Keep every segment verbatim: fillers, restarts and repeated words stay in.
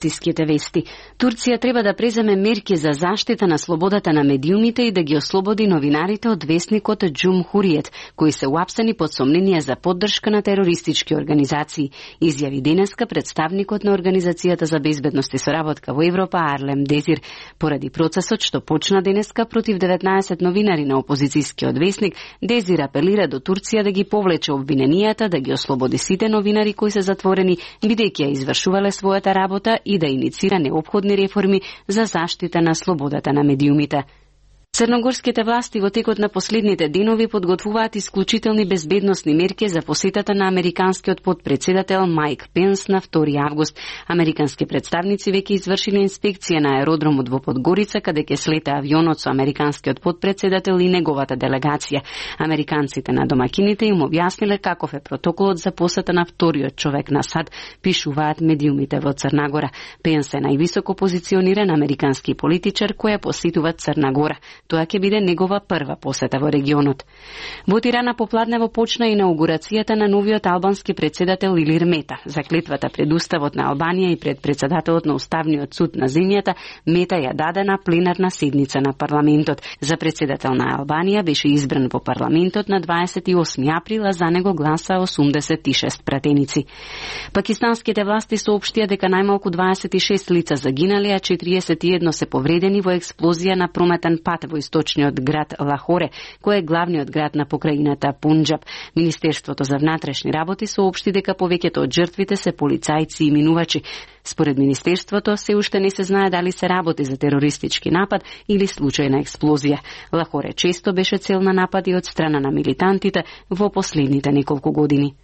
Турските вести. Турција треба да преземе мерки за заштита на слободата на медиумите и да ги ослободи новинарите од весникот Џумхуриет, кои се уапсени под сомнение за поддршка на терористички организации, изјави денеска представникот на Организацијата за безбедност и соработка во Европа Арлем Дезир. Поради процесот што почна денеска против деветнаесет новинари на опозицијскиот весник, Дезир апелира до Турција да ги повлече обвиненијата, да ги ослободи сите новинари кои се затворени, бидејќи ја извршувале својата работа и да иницира неопходни реформи за заштита на слободата на медиумите. Црногорските власти во текот на последните денови подготвуваат исклучителни безбедносни мерки за посетата на американскиот подпредседател Мајк Пенс на втори август. Американски представници веќе извршиле инспекција на аеродромот во Подгорица, каде ќе слета авионот со американскиот подпредседател и неговата делегација. Американците на домакините им објасниле каков е протоколот за посета на вториот човек на САД, пишуваат медиумите во Црна Гора. Пенс е највисоко позициониран американски политичар кој посетува Црна Гора. Тоа ќе биде негова прва посета во регионот. Во Тирана попладнево почна инаугурацијата на новиот албански председател Илир Мета. За клетвата пред Уставот на Албанија и пред председателот на Уставниот суд на земјата, Мета ја даде на пленарна седница на парламентот. За председател на Албанија беше избран во парламентот на дваесет и осми април, а за него гласа осумдесет и шест пратеници. Пакистанските власти соопштија дека најмалку дваесет и шест лица загинале, а четириесет и едно се повредени во експлозија на прометен пат во источниот град Лахоре, кој е главниот град на покрајината Пунџаб. Министерството за внатрешни работи соопшти дека повеќето од жртвите се полицајци и минувачи. Според Министерството, се уште не се знае дали се работи за терористички напад или случајна експлозија. Лахоре често беше цел на напади од страна на милитантите во последните неколку години.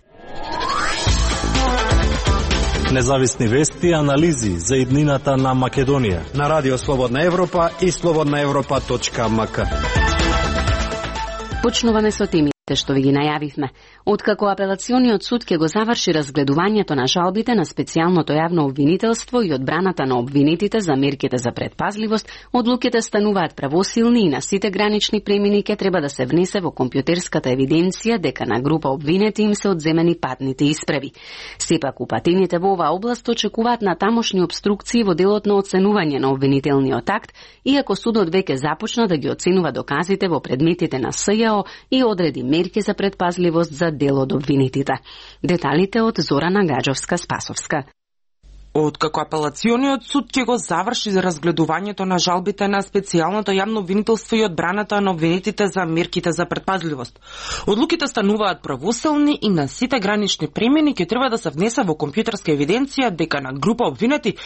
Независни вести и анализи за иднината на Македонија на Радио Слободна Европа и слободна европа точка ем ка. Почнуваме со темите што ви ги најавивме. Откако апелациониот суд ќе го заврши разгледувањето на жалбите на специјалното јавно обвинителство и одбраната на обвинетите за мерките за предпазливост, одлуките стануваат правосилни и на сите гранични премини ќе треба да се внесе во компјутерската евиденција дека на група обвинети им се одземени патните исправи. Сепак упатените во оваа област очекуваат на тамошни обструкции во делот на оценување на обвинителниот акт, иако судот веќе започна да ги оценува доказите во предметите на С Ј О и одреди мерки за предпазливост за дел од обвинетите. Деталите од Зорана Гаджовска-Спасовска. Откако апелациониот суд ќе го заврши за разгледувањето на жалбите на специјалното јавно обвинителство и одбраната на обвинетите за мерките за предпазливост, одлуките стануваат правосилни и на сите гранични премини ќе треба да се внесе во компјутерска евиденција дека на група обвинети